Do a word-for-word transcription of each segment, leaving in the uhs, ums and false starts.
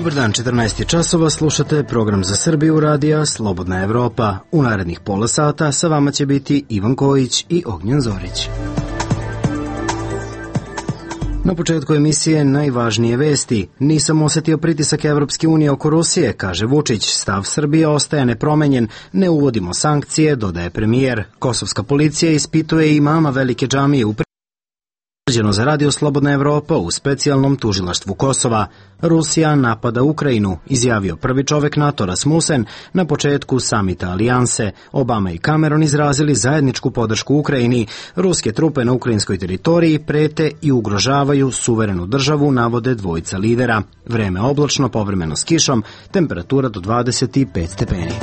Dobar dan, četrnaest je časova, slušate program za Srbiju radija Slobodna Evropa. U narednih pola sata sa vama će biti Ivan Kojić i Ognjen Zorić. Na početku emisije najvažnije vesti. Nisam osetio pritisak Evropske unije oko Rusije, kaže Vučić. Stav Srbije ostaje nepromenjen. Ne uvodimo sankcije, dodaje premijer. Kosovska policija ispituje imama velike džamije u Prištini za radio Slobodna Evropa u specijalnom tužilaštvu Kosova. Rusija napada Ukrajinu, izjavio prvi čovek NATO Rasmussen na početku samita alijanse. Obama i Cameron izrazili zajedničku podršku Ukrajini. Ruske trupe na ukrajinskoj teritoriji prete i ugrožavaju suverenu državu, navode dvojica lidera. Vreme oblačno, povremeno s kišom, temperatura do dvadeset pet stepeni.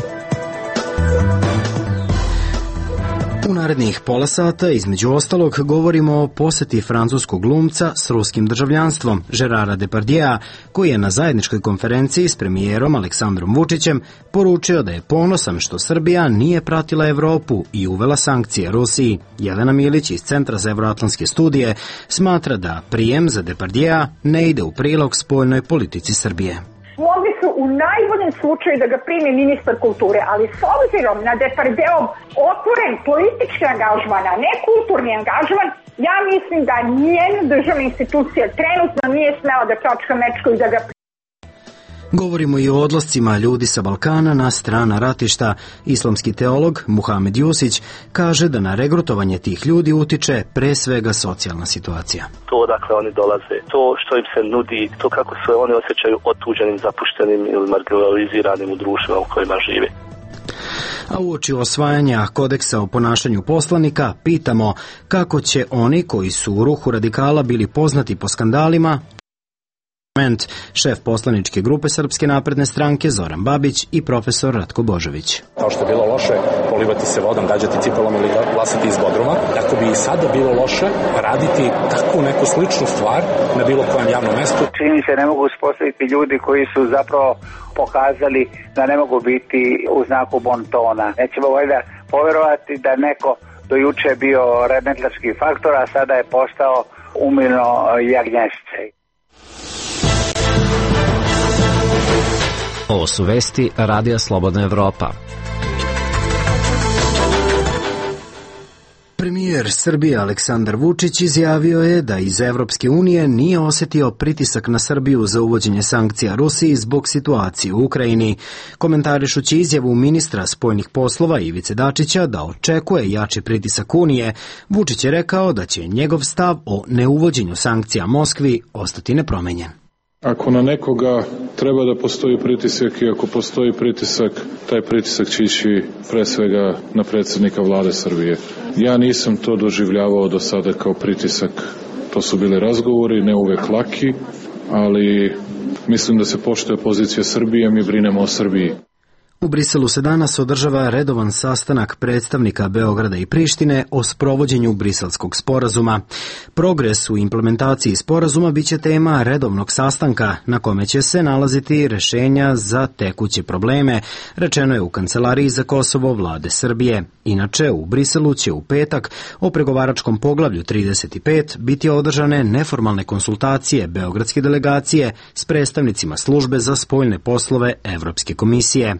U narednih pola sata, između ostalog, govorimo o poseti francuskog glumca s ruskim državljanstvom, Gerara Depardieu, koji je na zajedničkoj konferenciji s premijerom Aleksandrom Vučićem poručio da je ponosan što Srbija nije pratila Evropu i uvela sankcije Rusiji. Jelena Milić iz Centra za evroatlantske studije smatra da prijem za Depardieu ne ide u prilog spoljnoj politici Srbije. Mogli su u najboljem slučaju da ga primi ministar kulture, ali s obzirom na Depardieuov otvoren politički angažman, a ne kulturni angažman, ja mislim da nijedna državna institucija trenutno nije smela da čačka mečku i da ga primi. Govorimo i o odlascima ljudi sa Balkana na strana ratišta. Islamski teolog Muhamed Jusić kaže da na regrutovanje tih ljudi utiče pre svega socijalna situacija. To odakle oni dolaze, to što im se nudi, to kako se oni osjećaju otuđenim, zapuštenim ili marginaliziranim u društvima u kojima žive. A uoči osvajanja kodeksa o ponašanju poslanika pitamo kako će oni koji su u ruhu radikala bili poznati po skandalima, šef poslaničke grupe Srpske napredne stranke Zoran Babić i profesor Ratko Božović. Kao što je bilo loše polivati se vodom, gađati cipelom ili glasati iz Bodruma, tako bi i sada bilo loše raditi takvu neku sličnu stvar na bilo kojem javnom mestu. Čini se ne mogu uspostaviti ljudi koji su zapravo pokazali da ne mogu biti u znaku bontona. Nećemo valjda poverovati da neko do juče bio remetlarski faktor, a sada je postao umilno jagnješće. Ovo su vesti Radija Slobodna Evropa. Premijer Srbije Aleksandar Vučić izjavio je da iz Evropske unije nije osetio pritisak na Srbiju za uvođenje sankcija Rusiji zbog situacije u Ukrajini. Komentarišući izjavu ministra spoljnih poslova Ivice Dačića da očekuje jači pritisak Unije, Vučić je rekao da će njegov stav o neuvođenju sankcija Moskvi ostati nepromenjen. Ako na nekoga treba da postoji pritisak i ako postoji pritisak, taj pritisak će ići pre svega na predsjednika vlade Srbije. Ja nisam to doživljavao do sada kao pritisak. To su bili razgovori, ne uvek laki, ali mislim da se poštuje pozicija Srbije, mi brinemo o Srbiji. U Briselu se danas održava redovan sastanak predstavnika Beograda i Prištine o sprovođenju Briselskog sporazuma. Progres u implementaciji sporazuma biće tema redovnog sastanka na kome će se nalaziti rešenja za tekuće probleme, rečeno je u Kancelariji za Kosovo vlade Srbije. Inače, u Briselu će u petak o pregovaračkom poglavlju trideset pet biti održane neformalne konsultacije beogradske delegacije s predstavnicima službe za spoljne poslove Evropske komisije.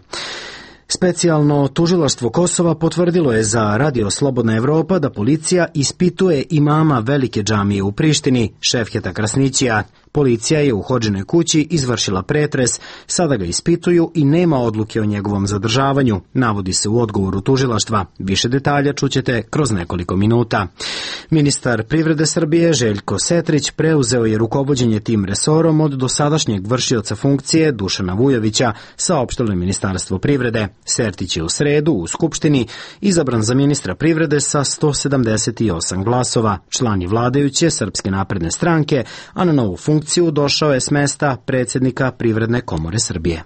Specijalno tužilaštvo Kosova potvrdilo je za Radio Slobodna Evropa da policija ispituje imama velike džamije u Prištini, Šefketa Krasnićija. Policija je u Hodžinoj kući izvršila pretres, sada ga ispituju i nema odluke o njegovom zadržavanju, navodi se u odgovoru tužilaštva. Više detalja čućete kroz nekoliko minuta. Ministar privrede Srbije Željko Setrić preuzeo je rukovođenje tim resorom od dosadašnjeg vršioca funkcije Dušana Vujovića, saopštilo je Ministarstvo privrede. Sertić je u sredu u Skupštini izabran za ministra privrede sa sto sedamdeset osam glasova. Član je vladajuće Srpske napredne stranke, a na novu funkciju došao je s mesta predsjednika Privredne komore Srbije.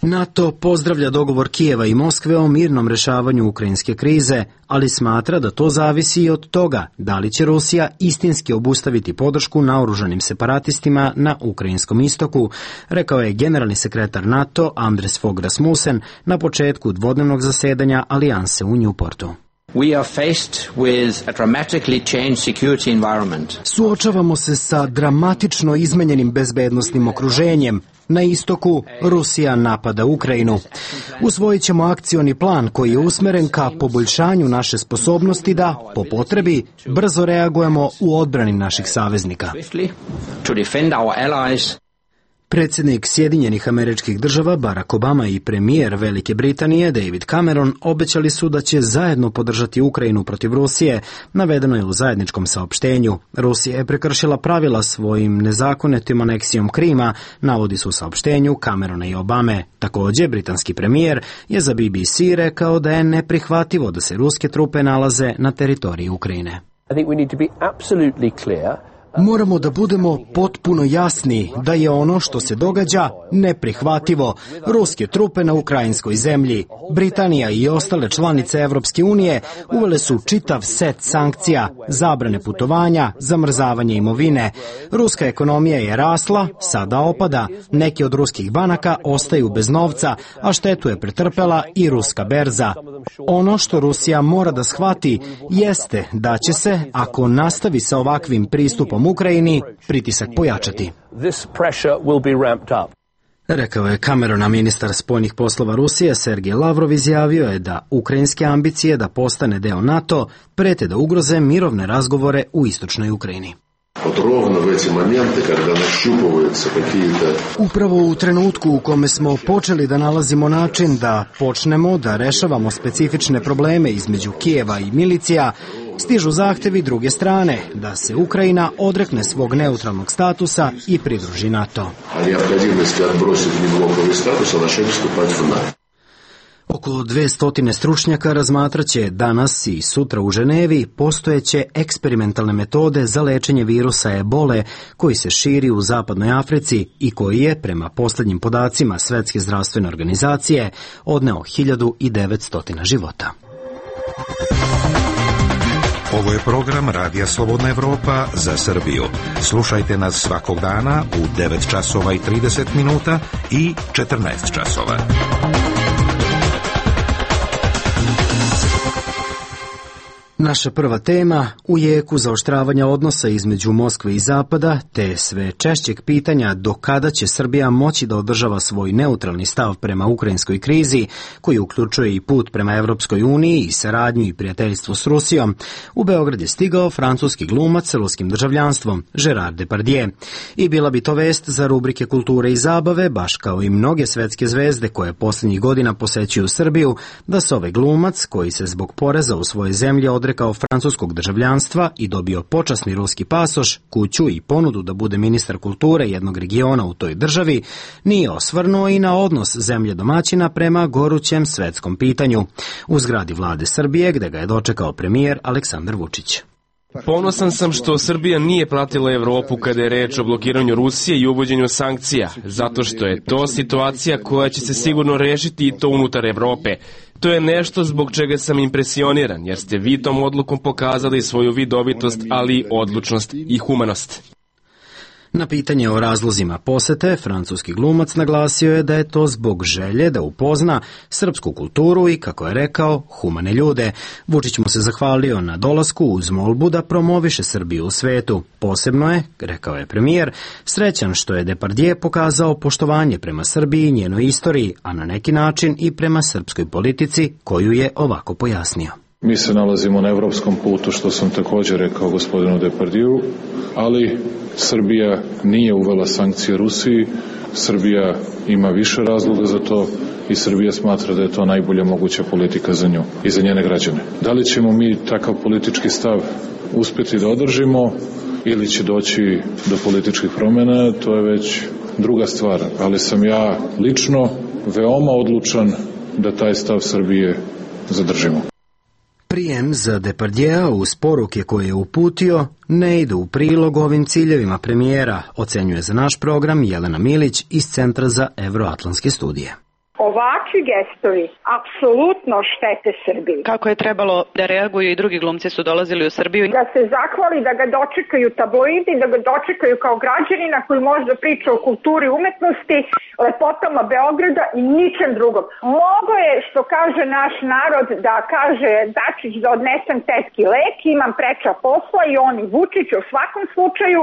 NATO pozdravlja dogovor Kijeva i Moskve o mirnom rešavanju ukrajinske krize, ali smatra da to zavisi i od toga da li će Rusija istinski obustaviti podršku naoružanim separatistima na ukrajinskom istoku, rekao je generalni sekretar NATO Anders Fogh Rasmussen na početku dvodnevnog zasedanja alijanse u Newportu. We are faced with a dramatically changed security environment. Suočavamo se sa dramatično izmenjenim bezbednosnim okruženjem. Na istoku Rusija napada Ukrajinu. Usvojit ćemo akcioni plan koji je usmeren ka poboljšanju naše sposobnosti da, po potrebi, brzo reagujemo u odbrani naših saveznika. Predsjednik Sjedinjenih Američkih Država Barack Obama i premijer Velike Britanije David Cameron obećali su da će zajedno podržati Ukrajinu protiv Rusije, navedeno je u zajedničkom saopštenju. Rusija je prekršila pravila svojim nezakonitom aneksijom Krima, navodi se u saopštenju Camerona i Obame. Također, britanski premijer je za B B C rekao da je neprihvatljivo da se ruske trupe nalaze na teritoriji Ukrajine. I think we need to be absolutely clear. Moramo da budemo potpuno jasni da je ono što se događa neprihvatljivo. Ruske trupe na ukrajinskoj zemlji. Britanija i ostale članice Evropske unije uvele su čitav set sankcija, zabrane putovanja, zamrzavanje imovine. Ruska ekonomija je rasla, sada opada. Neki od ruskih banaka ostaju bez novca, a štetu je pretrpela i ruska berza. Ono što Rusija mora da shvati jeste da će se, ako nastavi sa ovakvim pristupom Ukrajini, pritisak pojačati. Rekao je Camerona. Ministar spoljnih poslova Rusije Sergej Lavrov izjavio je da ukrajinske ambicije da postane deo NATO prete da ugroze mirovne razgovore u istočnoj Ukrajini. Upravo u trenutku u kome smo počeli da nalazimo način da počnemo da rešavamo specifične probleme između Kijeva i milicija, stižu zahtevi druge strane da se Ukrajina odrekne svog neutralnog statusa i pridruži NATO. Oko dvesta stručnjaka razmatraće danas i sutra u Ženevi postojeće eksperimentalne metode za lečenje virusa ebole koji se širi u zapadnoj Africi i koji je, prema posljednjim podacima Svetske zdravstvene organizacije, odneo hiljadu devetsto života. Ovo je program Radija Slobodna Evropa za Srbiju. Slušajte nas svakog dana u devet časova i trideset minuta i četrnaest časova. Naša prva tema, u jeku zaoštravanja odnosa između Moskve i Zapada, te sve češćeg pitanja do kada će Srbija moći da održava svoj neutralni stav prema ukrajinskoj krizi, koji uključuje i put prema Evropskoj uniji i saradnju i prijateljstvo s Rusijom, u Beograd je stigao francuski glumac s ruskim državljanstvom, Gerard Depardieu. I bila bi to vest za rubrike kulture i zabave, baš kao i mnoge svetske zvezde koje posljednjih godina posećuju Srbiju, da se ovaj glumac, koji se zbog poreza u svojoj zemlji odrekao francuskog državljanstva i dobio počasni ruski pasoš, kuću i ponudu da bude ministar kulture jednog regiona u toj državi, nije osvrnuo i na odnos zemlje domaćina prema gorućem svetskom pitanju u zgradi vlade Srbije, gde ga je dočekao premijer Aleksandar Vučić. Ponosan sam što Srbija nije pratila Evropu kada je reč o blokiranju Rusije i uvođenju sankcija, zato što je to situacija koja će se sigurno rešiti i to unutar Evrope. To je nešto zbog čega sam impresioniran, jer ste vi tom odlukom pokazali svoju vidovitost, ali i odlučnost i humanost. Na pitanje o razlozima posete, francuski glumac naglasio je da je to zbog želje da upozna srpsku kulturu i, kako je rekao, humane ljude. Vučić mu se zahvalio na dolasku uz molbu da promoviše Srbiju u svetu. Posebno je, rekao je premijer, srećan što je Depardieu pokazao poštovanje prema Srbiji i njenoj istoriji, a na neki način i prema srpskoj politici, koju je ovako pojasnio. Mi se nalazimo na evropskom putu, što sam također rekao gospodinu Depardieu, ali Srbija nije uvela sankcije Rusiji, Srbija ima više razloga za to i Srbija smatra da je to najbolja moguća politika za nju i za njene građane. Da li ćemo mi takav politički stav uspjeti da održimo ili će doći do političkih promjena, to je već druga stvar, ali sam ja lično veoma odlučan da taj stav Srbije zadržimo. Prijem za Depardieu uz poruke koje je uputio ne ide u prilog ovim ciljevima premijera, ocenjuje za naš program Jelena Milić iz Centra za evroatlantske studije. Ovakvi gestovi apsolutno štete Srbiji. Kako je trebalo da reaguju i drugi glumci su dolazili u Srbiju? Da se zahvali, da ga dočekaju tabloidi, da ga dočekaju kao građanina koji može da priča o kulturi umetnosti, lepotama Beograda i ničem drugom. Mogo je, što kaže naš narod, da kaže Dačić da odnesem tetki lek, imam preča posla i on i Vučić u svakom slučaju.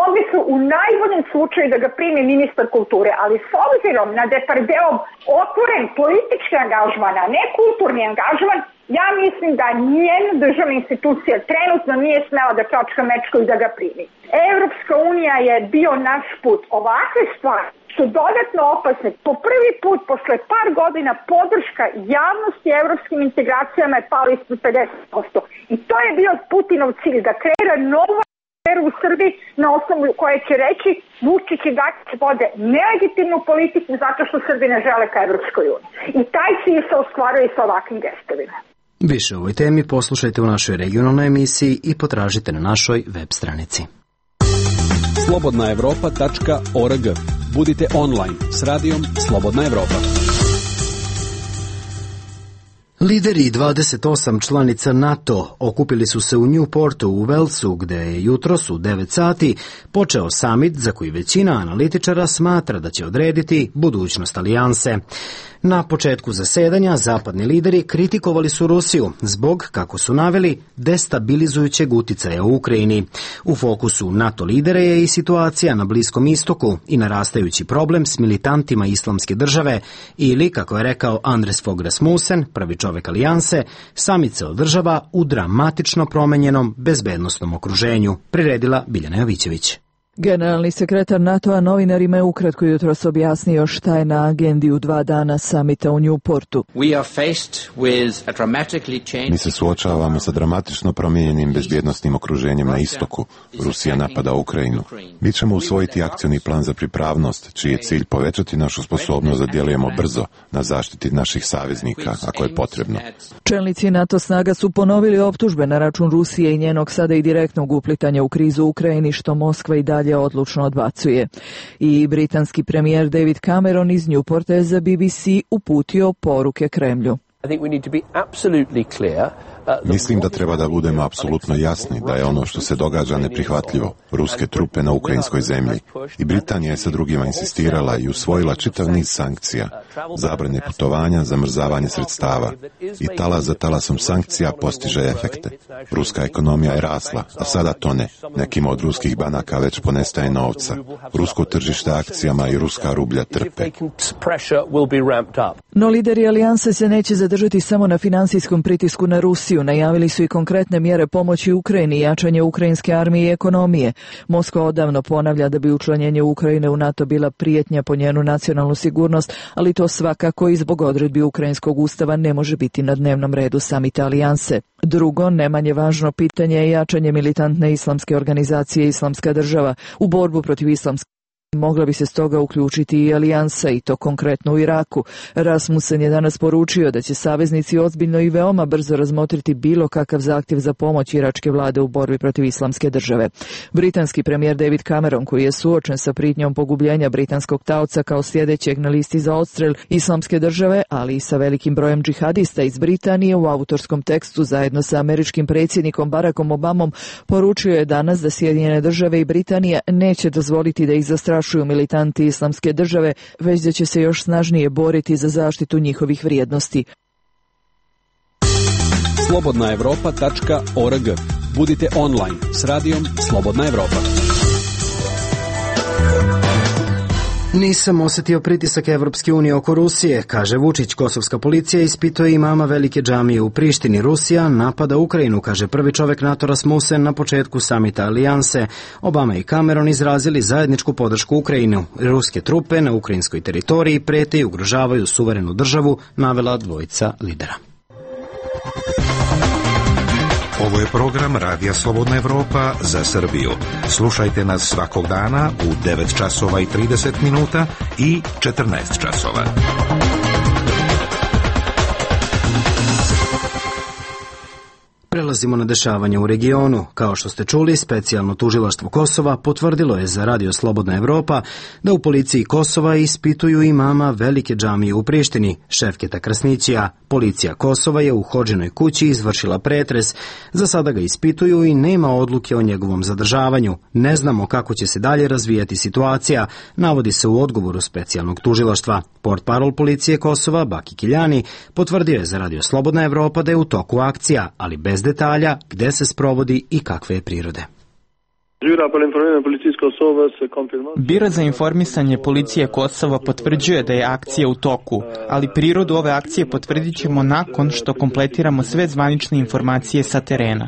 Mogli su u najboljem slučaju da ga primi ministar kulture, ali s obzirom na Depardeov otvoren politički angažman, a ne kulturni angažman, ja mislim da nijedna državna institucija trenutno nije smela da čačka mečku i da ga primi. Evropska unija je bio naš put. Ovakve stvari su dodatno opasne. Po prvi put, posle par godina, podrška javnosti evropskim integracijama je pala ispod pedeset posto. I to je bio Putinov cilj, da kreira novu u Srbiji na osnovu koje će reći Vučić i Dačić vode nelegitimnu politiku zato što Srbi ne žele ka Evropskoj uniji. I taj cilj se ostvaruje sa ovakvim gestovima. Više o ovoj temi poslušajte u našoj regionalnoj emisiji i potražite na našoj web stranici. slobodna evropa tačka org. Budite online s radijom Slobodna Evropa. Lideri dvadeset osam članica NATO okupili su se u Newportu u Walesu, gde je jutros u devet sati počeo samit za koji većina analitičara smatra da će odrediti budućnost alijanse. Na početku zasedanja zapadni lideri kritikovali su Rusiju zbog, kako su naveli, destabilizujućeg uticaja u Ukrajini. U fokusu NATO lidera je i situacija na Bliskom istoku i narastajući problem s militantima islamske države ili, kako je rekao Anders Fogh Rasmussen, prvi čovek alijanse, samit se održava u dramatično promenjenom bezbednosnom okruženju, priredila Biljana Jovićević. Generalni sekretar NATO-a novinarima je ukratko jutros objasnio šta je na agendi u dva dana samita u Newportu. Mi se suočavamo sa dramatično promijenjenim bezbjednosnim okruženjem na istoku. Rusija napada Ukrajinu. Mi ćemo usvojiti akcioni plan za pripravnost, čiji je cilj povećati našu sposobnost da djelujemo brzo na zaštiti naših saveznika, ako je potrebno. Čelnici NATO snaga su ponovili optužbe na račun Rusije i njenog sada i direktnog uplitanja u krizu u Ukrajini, što Moskva i dalje odlučno odbacuje. I britanski premijer David Cameron iz Newporta je za B B C uputio poruke Kremlju. Mislim da treba da budemo apsolutno jasni da je ono što se događa neprihvatljivo. Ruske trupe na ukrajinskoj zemlji. I Britanija je sa drugima insistirala i usvojila čitav niz sankcija, zabrane putovanja, zamrzavanje sredstava. I talas za talasom sankcija postiže efekte. Ruska ekonomija je rasla, a sada tone. Nekima od ruskih banaka već ponestaje novca. Rusko tržište akcijama i ruska rublja trpe. No lideri alijanse se neće zadržati samo na finansijskom pritisku na Rusiju. Najavili su i konkretne mjere pomoći Ukrajini i jačanje ukrajinske armije i ekonomije. Moskva odavno ponavlja da bi učlanjenje Ukrajine u NATO bila prijetnja po njenu nacionalnu sigurnost, ali to svakako i zbog odredbi ukrajinskog ustava ne može biti na dnevnom redu samita alijanse. Drugo, ne manje važno pitanje je jačanje militantne islamske organizacije Islamska država u borbu protiv islamske. Mogla bi se stoga uključiti i alijansa, i to konkretno u Iraku. Rasmussen je danas poručio da će saveznici ozbiljno i veoma brzo razmotriti bilo kakav zahtjev za pomoć iračke vlade u borbi protiv islamske države. Britanski premijer David Cameron, koji je suočen sa prijetnjom pogubljenja britanskog taoca kao sljedećeg na listi za odstrel islamske države, ali i sa velikim brojem džihadista iz Britanije, u autorskom tekstu zajedno sa američkim predsjednikom Barackom Obamom poručio je danas da Sjedinjene države i Britanija neće dozvoliti da ih zastrašuju militanti islamske države, već da će se još snažnije boriti za zaštitu njihovih vrijednosti. slobodna evropa tačka org. Budite online s radijom Slobodna Evropa. Nisam osjetio pritisak Evropske unije oko Rusije, kaže Vučić. Kosovska policija ispituje imama velike džamije u Prištini. Rusija napada Ukrajinu, kaže prvi čovek NATO Rasmussen na početku samita alijanse. Obama i Cameron izrazili zajedničku podršku Ukrajinu. Ruske trupe na ukrajinskoj teritoriji prete i ugrožavaju suverenu državu, navela dvojica lidera. Ovo je program Radija Slobodna Evropa za Srbiju. Slušajte nas svakog dana u devet časova i trideset minuta i četrnaest časova. Prelazimo na dešavanje u regionu. Kao što ste čuli, specijalno tužilaštvo Kosova potvrdilo je za Radio Slobodna Evropa da u policiji Kosova ispituju imama velike džamije u Prištini, Šefketa Krasnićija. Policija Kosova je u Hodžinoj kući izvršila pretres. Za sada ga ispituju i nema odluke o njegovom zadržavanju. Ne znamo kako će se dalje razvijati situacija, navodi se u odgovoru specijalnog tužilaštva. Portparol policije Kosova, Baki Kiljani, potvrdio je za Radio Slobodna Evropa da je u toku akcija, ali bez detalja gde se sprovodi i kakve je prirode. Biro za informisanje policije Kosova potvrđuje da je akcija u toku, ali prirodu ove akcije potvrdit ćemo nakon što kompletiramo sve zvanične informacije sa terena.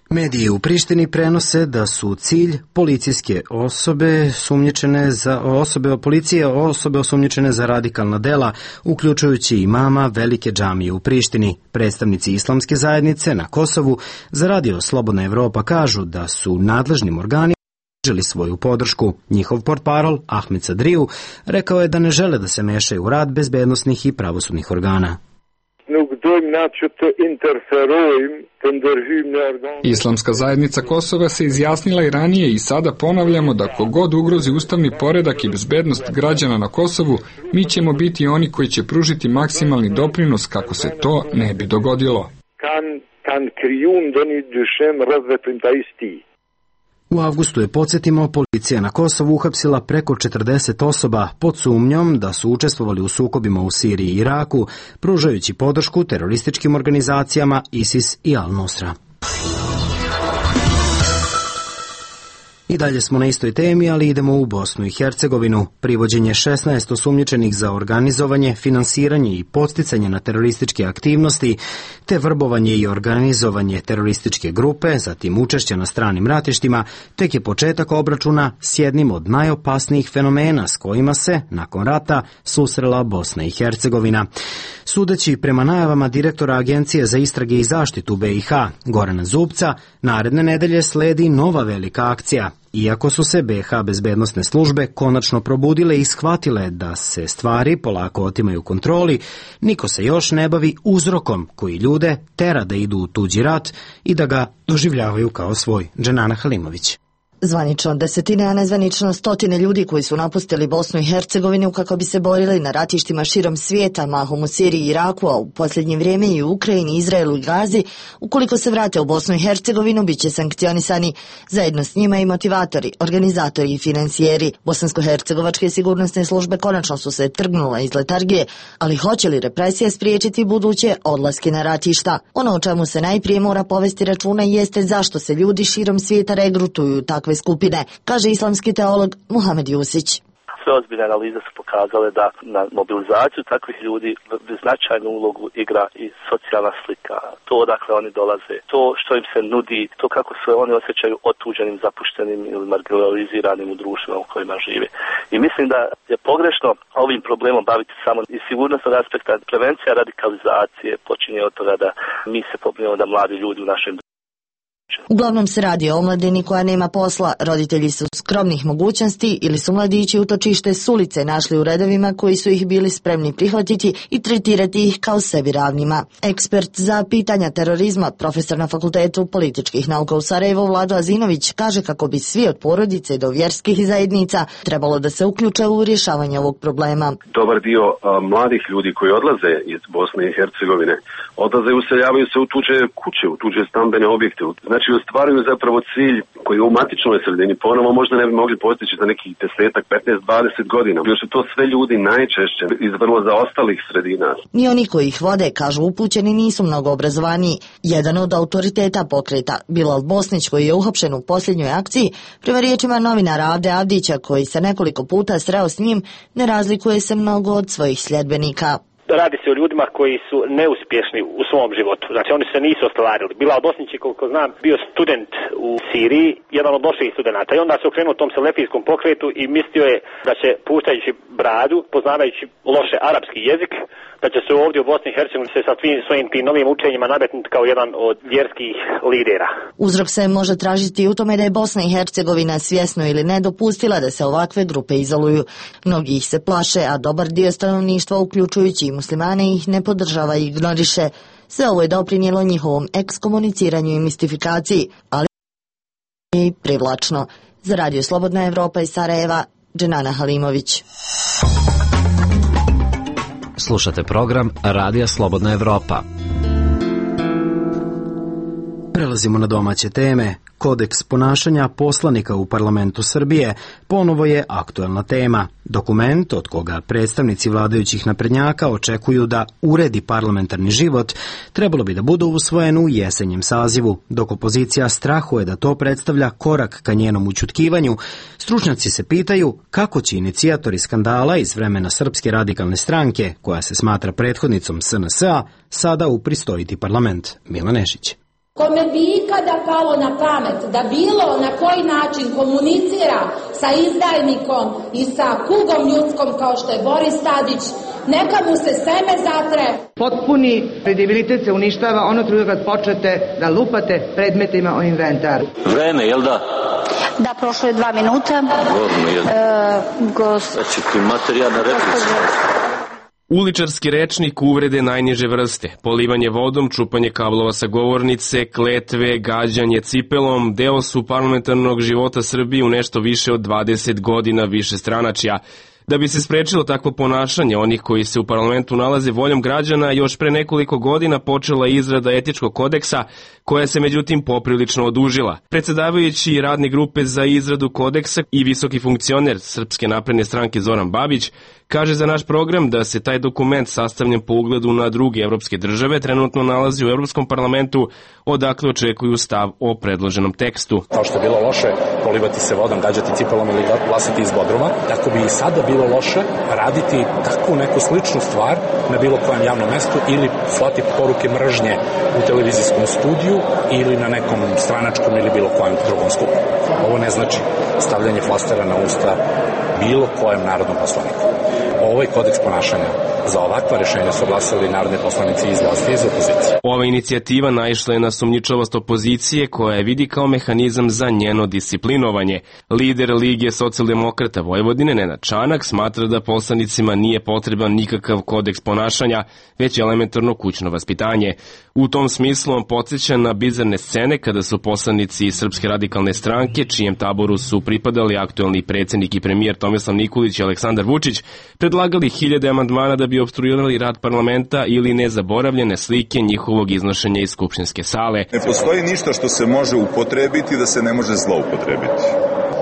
Mediji u Prištini prenose da su cilj policijske osobe sumnjičene za osobe policije osobe osumnjičene za radikalna dela, uključujući imama velike džamije u Prištini. Predstavnici islamske zajednice na Kosovu za Radio Slobodna Evropa kažu da su nadležnim organima pružili svoju podršku. Njihov portparol Ahmed Sadriju rekao je da ne žele da se mešaju u rad bezbednosnih i pravosudnih organa. Islamska zajednica Kosova se izjasnila i ranije i sada ponavljamo da kogod ugrozi ustavni poredak i bezbednost građana na Kosovu, mi ćemo biti oni koji će pružiti maksimalni doprinos kako se to ne bi dogodilo. U avgustu je, podsjetimo, policija na Kosovu uhapsila preko četrdeset osoba pod sumnjom da su učestvovali u sukobima u Siriji i Iraku, pružajući podršku terorističkim organizacijama ISIS i Al-Nusra. I dalje smo na istoj temi, ali idemo u Bosnu i Hercegovinu. Privođenje šesnaest osumnjičenih za organizovanje, finansiranje i podsticanje na terorističke aktivnosti, te vrbovanje i organizovanje terorističke grupe, zatim učešće na stranim ratištima, tek je početak obračuna s jednim od najopasnijih fenomena s kojima se, nakon rata, susrela Bosna i Hercegovina. Sudeći prema najavama direktora Agencije za istrage i zaštitu B i H, Gorana Zubca, naredne nedelje sledi nova velika akcija. Iako su se B i H bezbednosne službe konačno probudile i shvatile da se stvari polako otimaju kontroli, niko se još ne bavi uzrokom koji ljude tera da idu u tuđi rat i da ga doživljavaju kao svoj. Dženana Halimović. Zvanično desetine, a nezvanično stotine ljudi koji su napustili Bosnu i Hercegovinu kako bi se borili na ratištima širom svijeta, mahom u Siriji i Iraku, a u posljednje vrijeme i u Ukrajini, Izraelu i Gazi, ukoliko se vrate u Bosnu i Hercegovinu, bit će sankcionisani. Zajedno s njima i motivatori, organizatori i financijeri. Bosansko-hercegovačke sigurnosne službe konačno su se trgnule iz letargije, ali hoće li represija spriječiti buduće odlaske na ratišta? Ono o čemu se najprije mora povesti računa jeste zašto se ljudi širom svijeta regrutuju takve skupine, kaže islamski teolog Muhamed Jusić. Sve ozbiljne analize su pokazale da na mobilizaciju takvih ljudi značajnu ulogu igra i socijalna slika, to odakle oni dolaze, to što im se nudi, to kako se oni osjećaju otuđenim, zapuštenim ili marginaliziranim u društvima u kojima žive. I mislim da je pogrešno ovim problemom baviti samo iz sigurnosnog aspekta. Prevencija radikalizacije počinje od toga da mi se pobrinemo da mladi ljudi u našem Uglavnom se radi o omladini koja nema posla, roditelji su skromnih mogućnosti ili su mladići utočište s ulice našli u redovima koji su ih bili spremni prihvatiti i tretirati ih kao sebi ravnima. Ekspert za pitanja terorizma, profesor na Fakultetu političkih nauka u Sarajevu Vlado Azinović kaže kako bi svi od porodice do vjerskih zajednica trebalo da se uključe u rješavanje ovog problema. Dobar dio a, mladih ljudi koji odlaze iz Bosne i Hercegovine odlaze i useljavaju se u tuđe kuće, u tuđe stambene objekte. Znači ostvaruju zapravo cilj koji u matičnoj sredini ponovo možda ne bi mogli postići za nekih desetak, petnaest, dvadeset godina. Još su to sve ljudi najčešće iz vrlo zaostalih sredina. Ni oni koji ih vode, kažu upućeni, nisu mnogo obrazovaniji. Jedan od autoriteta pokreta, Bilal Bosnić, koji je uhapšen u posljednjoj akciji, prema riječima novinara Avde Avdića, koji se nekoliko puta sreo s njim, ne razlikuje se mnogo od svojih sljedbenika. Radi se o ljudima koji su neuspješni u svom životu. Znači oni se nisu ostvarili. Bilal Bosnić je, koliko znam, bio student u Siriji, jedan od loših studenata. I onda se okrenuo tom selefijskom pokretu i mislio je da će, puštajući bradu, poznavajući loše arapski jezik, da će se ovdje u Bosni i Hercegovini se sa svojim tim novim učenjima nametnuti kao jedan od vjerskih lidera. Uzrok se može tražiti u tome da je Bosna i Hercegovina svjesno ili ne dopustila da se ovakve grupe izoluju. Mnogi ih se plaše, a dobar dio stanovništva, uključujući i muslimane, ih ne podržava i ignoriše. Sve ovo je doprinijelo njihovom ekskomuniciranju i mistifikaciji, ali i privlačno. Za Radio Slobodna Evropa iz Sarajeva, Dženana Halimović. Slušate program Radija Slobodna Evropa. Prelazimo na domaće teme. Kodeks ponašanja poslanika u parlamentu Srbije ponovo je aktuelna tema. Dokument od koga predstavnici vladajućih naprednjaka očekuju da uredi parlamentarni život trebalo bi da bude usvojen u jesenjem sazivu, dok opozicija strahuje da to predstavlja korak ka njenom ućutkivanju. Stručnjaci se pitaju kako će inicijatori skandala iz vremena Srpske radikalne stranke, koja se smatra prethodnicom S N S-a, sada upristojiti parlament. Milan Nešić. Kome bi ikada palo na pamet da bilo na koji način komunicira sa izdajnikom i sa kugom ljudskom kao što je Boris Tadić, neka mu se seme zatre. Potpuni kredibilitet se uništava ono truda kad počnete da lupate predmetima o inventaru. Vreme, jel da? Da, prošlo je dva minuta. Gorno, jel? E, gos... Znači ti materijalna replika. Uličarski rečnik, uvrede najniže vrste, polivanje vodom, čupanje kablova sa govornice, kletve, gađanje cipelom, deo su parlamentarnog života Srbije u nešto više od dvadeset godina višestranačja. Da bi se sprečilo takvo ponašanje onih koji se u parlamentu nalaze voljom građana, još pre nekoliko godina počela izrada etičkog kodeksa, koja se međutim poprilično odužila. Predsedavajući radne grupe za izradu kodeksa i visoki funkcioner Srpske napredne stranke Zoran Babić kaže za naš program da se taj dokument sastavljen po ugledu na druge evropske države trenutno nalazi u Evropskom parlamentu, odakle očekuju stav o predloženom tekstu. Kao što je bilo loše polivati se vodom, gađati cipelom ili glasati iz Bodruma, tako bi i sada bilo loše raditi takvu neku sličnu stvar na bilo kojem javnom mestu ili slati poruke mržnje u televizijskom studiju ili na nekom stranačkom ili bilo kojem drugom skupu. Ovo ne znači stavljanje flastera na usta bilo kojem narodnom poslaniku. Ovaj kodeks ponašanja za ovakva rešenja su glasali narodni poslanici iz vlasti i iz opozicije. Ova inicijativa naišla je na sumnjičavost opozicije koja je vidi kao mehanizam za njeno disciplinovanje. Lider Lige socijaldemokrata Vojvodine Nenad Čanak smatra da poslanicima nije potreban nikakav kodeks ponašanja, već elementarno kućno vaspitanje. U tom smislu on podsjeća na bizarne scene kada su poslanici iz Srpske radikalne stranke, čijem taboru su pripadali aktuelni predsjednik i premijer Tomislav Nikolić i Aleksandar Vučić, predlagali hiljade amandmana da bi opstruirali rad parlamenta ili nezaboravljene slike njihovog iznošenja iz skupštinske sale. Ne postoji ništa što se može upotrebiti da se ne može zloupotrebiti.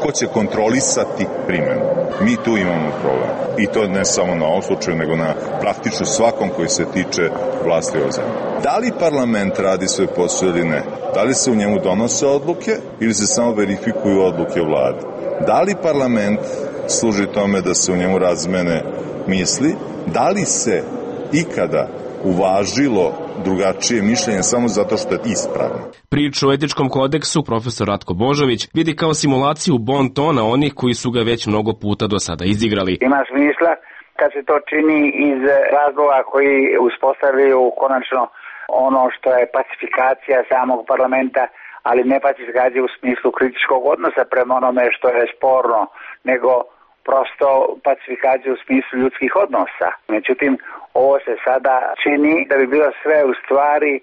Ko će kontrolisati primjenu? Mi tu imamo problem. I to ne samo na ovom slučaju, nego na praktično svakom koji se tiče vlasti ove zemlje. Da li parlament radi svoj posao ili ne? Da li se u njemu donose odluke ili se samo verifikuju odluke vlade? Da li parlament služi tome da se u njemu razmene misli? Da li se ikada uvažilo drugačije mišljenje samo zato što je ispravno? Priču o etičkom kodeksu profesor Ratko Božović vidi kao simulaciju bon tona onih koji su ga već mnogo puta do sada izigrali. Ima smisla kad se to čini iz razloga koji uspostavljaju konačno ono što je pacifikacija samog parlamenta, ali ne pacifikacija u smislu kritičkog odnosa prema onome što je sporno, nego prosto pacifikacija u smislu ljudskih odnosa. Međutim, ovo se sada čini da bi bilo sve u stvari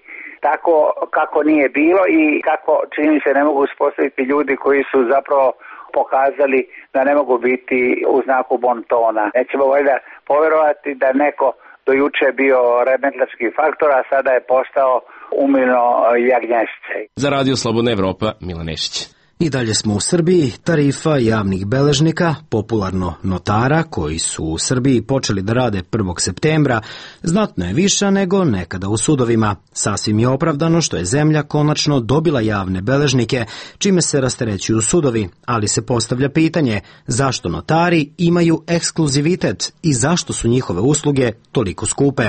tako kako nije bilo i kako čini se ne mogu uspostaviti ljudi koji su zapravo pokazali da ne mogu biti u znaku bontona. Nećemo valjda poverovati da neko do juče bio remetlački faktor, a sada je postao umilno jagnješće. Za Radio Slobodna Evropa, Milan Nešić. I dalje smo u Srbiji. Tarifa javnih beležnika, popularno notara, koji su u Srbiji počeli da rade prvog septembra, znatno je viša nego nekada u sudovima. Sasvim je opravdano što je zemlja konačno dobila javne beležnike, čime se rasterećuju sudovi, ali se postavlja pitanje zašto notari imaju ekskluzivitet i zašto su njihove usluge toliko skupe.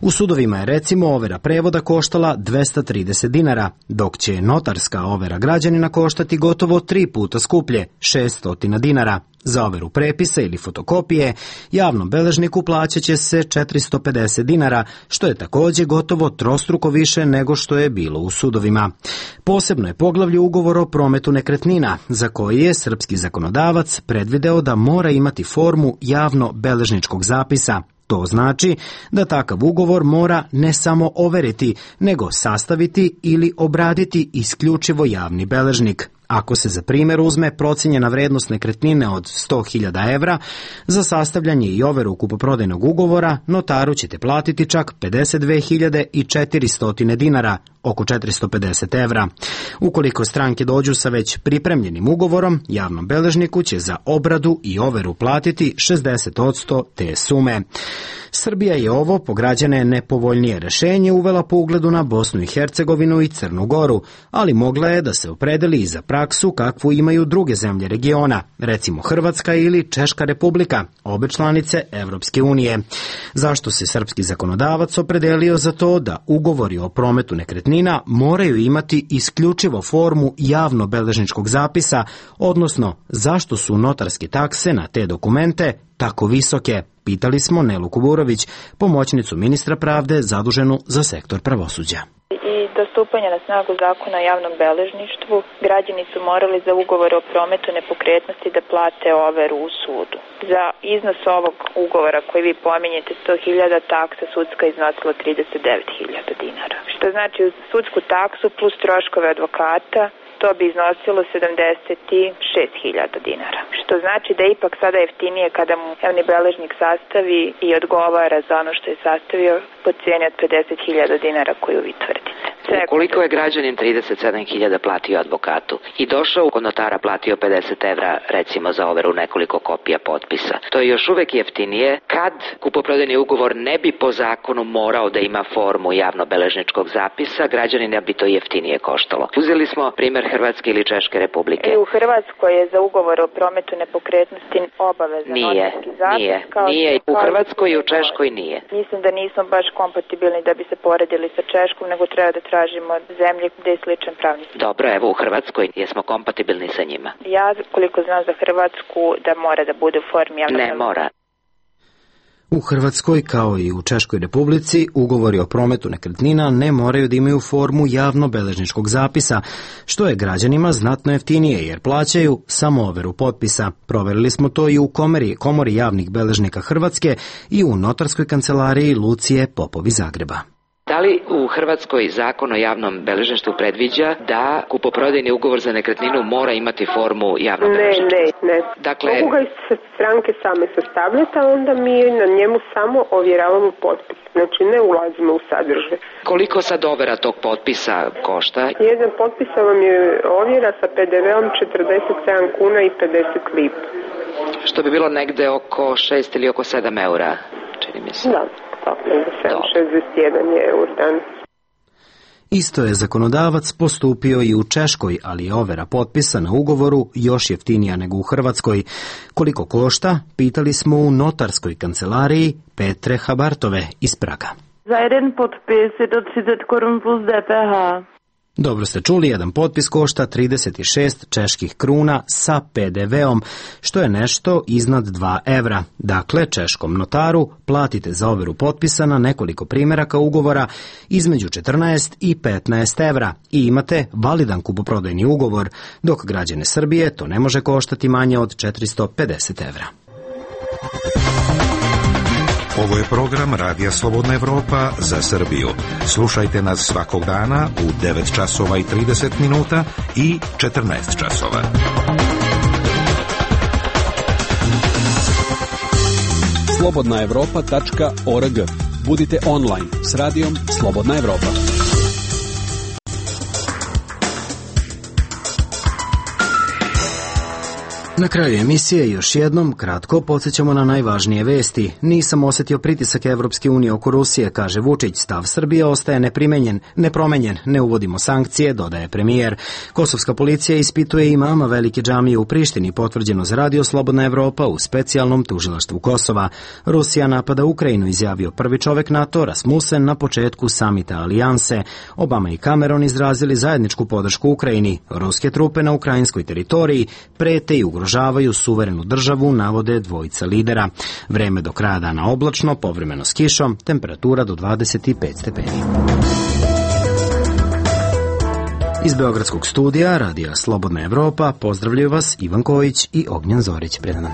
U sudovima je recimo overa prevoda koštala dvesta trideset dinara, dok će notarska overa građanina koštati gotovo tri puta skuplje, šessto dinara. Za overu prepisa ili fotokopije javnom beležniku plaćat će se četiristo pedeset dinara, što je također gotovo trostruko više nego što je bilo u sudovima. Posebno je poglavlje ugovor o prometu nekretnina, za koji je srpski zakonodavac predvideo da mora imati formu javno-beležničkog zapisa, To znači da takav ugovor mora ne samo overiti, nego sastaviti ili obraditi isključivo javni beležnik. Ako se za primjer uzme procijenjena vrednost nekretnine od sto hiljada evra, za sastavljanje i overu kupoprodajnog ugovora notaru ćete platiti čak pedeset dve hiljade četiristo dinara, oko četiristo pedeset evra. Ukoliko stranke dođu sa već pripremljenim ugovorom, javnom beležniku će za obradu i overu platiti šezdeset posto te sume. Srbija je ovo po građane nepovoljnije rešenje uvela po ugledu na Bosnu i Hercegovinu i Crnu Goru, ali mogla je da se opredeli i za praksu kakvu imaju druge zemlje regiona, recimo Hrvatska ili Češka Republika, obe članice Evropske unije. Zašto se srpski zakonodavac opredelio za to da ugovori o prometu nekretnina moraju imati isključivo formu javno-beležničkog zapisa, odnosno zašto su notarske takse na te dokumente tako visoke? Pitali smo Nelu Kuburović, pomoćnicu ministra pravde zaduženu za sektor pravosuđa. I do stupanja na snagu zakona o javnom beležništvu, građani su morali za ugovor o prometu nepokretnosti da plate overu u sudu. Za iznos ovog ugovora koji vi pominjete sto hiljada, taksa sudska iznosila trideset devet hiljada dinara. Što znači uz sudsku taksu plus troškove advokata, to bi iznosilo sedamdeset šest hiljada dinara. Što znači da je ipak sada jeftinije kada mu javni beležnik sastavi i odgovara za ono što je sastavio po cijeni od pedeset hiljada dinara koju vi tvrdite. Ukoliko je građanin trideset sedam hiljada platio advokatu i došao kod notara platio pedeset evra recimo za overu nekoliko kopija potpisa, to je još uvek jeftinije kad kupoprodajni ugovor ne bi po zakonu morao da ima formu javno-beležničkog zapisa, građanina bi to jeftinije koštalo. Uzeli smo primjer Hrvatske ili Češke Republike. I u Hrvatskoj je za ugovor o prometu nepokretnosti obavezan nije, notarski zapis. Nije, kao nije. U Hrvatskoj i u Češkoj nije. Mislim da nismo baš kompatibilni da bi se poredili sa Češkom, nego treba da tražimo zemlje gde je sličan pravni sistem. Dobro, evo u Hrvatskoj jesmo kompatibilni sa njima. Ja, koliko znam za Hrvatsku, da mora da bude u formi javnog. Ne mora. U Hrvatskoj, kao i u Češkoj Republici, ugovori o prometu nekretnina ne moraju da imaju formu javno-beležničkog zapisa, što je građanima znatno jeftinije jer plaćaju samo overu potpisa. Proverili smo to i u komori, komori javnih beležnika Hrvatske i u notarskoj kancelariji Lucije Popovi Zagreba. Da li u Hrvatskoj zakon o javnom beležništvu predviđa da kupoprodajni ugovor za nekretninu mora imati formu javnog beležništva? Ne, ne, ne. Dakle, mogu ga se stranke same sastavljati, a onda mi na njemu samo ovjeravamo potpis. Znači ne ulazimo u sadržaj. Koliko sad overa tog potpisa košta? Jedan potpisa vam je ovjera sa pe de veom četrdeset sedam kuna i pedeset lipa. Što bi bilo negde oko šest ili oko sedam eura, čini mi se. Da. sedam šezdeset jedan je eur danas. Isto je zakonodavac postupio i u Češkoj, ali je overa potpisa na ugovoru još jeftinija nego u Hrvatskoj. Koliko košta, pitali smo u notarskoj kancelariji Petre Habartove iz Praga. Za jedan potpis je to trideset korun plus de pe ha. Dobro ste čuli, jedan potpis košta trideset šest čeških kruna sa pe de veom, što je nešto iznad dva evra. Dakle, češkom notaru platite za overu potpisa na nekoliko primjeraka ugovora između četrnaest i petnaest evra i imate validan kupoprodajni ugovor, dok građane Srbije to ne može koštati manje od četiristo pedeset evra. Ovo je program Radija Slobodna Evropa za Srbiju. Slušajte nas svakog dana u devet časova i trideset minuta i četrnaest časova. slobodna evropa tačka org. Budite online s radijom Slobodna Evropa. Na kraju emisije još jednom kratko podsjećamo na najvažnije vesti. Nisam osjetio pritisak Evropske unije oko Rusije, kaže Vučić. Stav Srbije ostaje neprimenjen, nepromenjen. Ne uvodimo sankcije, dodaje premijer. Kosovska policija ispituje imama velike džamije u Prištini, potvrđeno za Radio Slobodna Evropa u specijalnom tužilaštvu Kosova. Rusija napada Ukrajinu, izjavio prvi čovek NATO Rasmussen na početku samita alijanse. Obama i Cameron izrazili zajedničku podršku Ukrajini. Ruske trupe na ukrajinskoj teritoriji prete i ugrožavaju ugrožavaju suverenu državu, navode dvojica lidera. Vreme do kraja dana oblačno, povremeno s kišom, temperatura do dvadeset pet stepeni. Iz Beogradskog studija Radija Slobodna Evropa pozdravljaju vas Ivan Kojić i Ognjen Zorić. Predan.